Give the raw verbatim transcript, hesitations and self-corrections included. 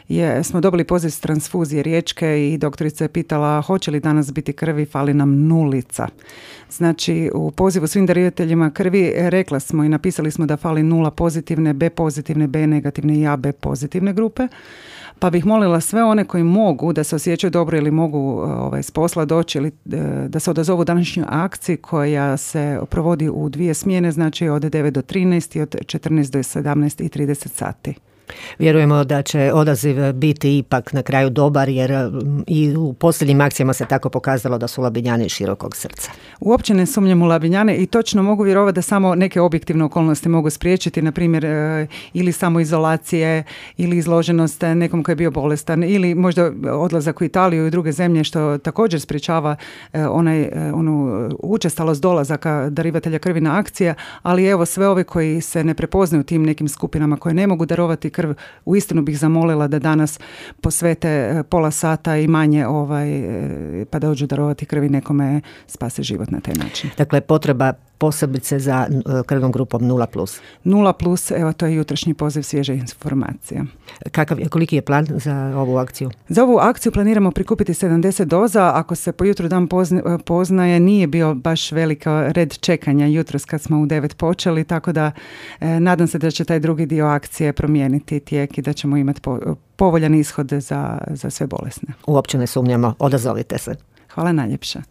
je, smo dobili poziv s transfuzije Riječke i doktorica je pitala hoće li danas biti krvi, fali nam nulica. Znači u pozivu svim darivateljima krvi rekla smo i napisali smo da fali nula pozitivne, B pozitivne, B negativne i A B pozitivne grupe. Pa bih molila sve one koji mogu da se osjećaju dobro ili mogu ovaj, s posla doći ili da se odazovu današnjoj akciji koja se provodi u dvije smjene, znači od devet do trinaest i od četrnaest do sedamnaest i trideset sati. Vjerujemo da će odaziv biti ipak na kraju dobar, jer i u posljednjim akcijama se tako pokazalo da su Labinjani širokog srca. Uopće ne sumnjam u Labinjane i točno mogu vjerovati da samo neke objektivne okolnosti mogu spriječiti, na primjer ili samoizolacije ili izloženost nekom koji je bio bolestan ili možda odlazak u Italiju i druge zemlje što također sprječava onaj, onu učestalost dolazaka darivatelja krvi na akcije, ali evo sve ove koji se ne prepoznaju tim nekim skupinama koje ne mogu darovati krv, uistinu bih zamolila da danas posvete pola sata i manje ovaj, pa da dođu darovati krvi nekome spase život na taj način. Dakle, potreba posebice za krvnom grupom nula plus. nula plus, evo to je jutrošnji poziv svježe informacija. Kakav, koliki je plan za ovu akciju? Za ovu akciju planiramo prikupiti sedamdeset doza. Ako se po jutru dan pozna, poznaje, nije bio baš velika red čekanja jutros kad smo u devet počeli, tako da eh, nadam se da će taj drugi dio akcije promijeniti tijek i da ćemo imati po, povoljan ishod za, za sve bolesne. Uopće ne sumnjamo, odazovite se. Hvala najljepša.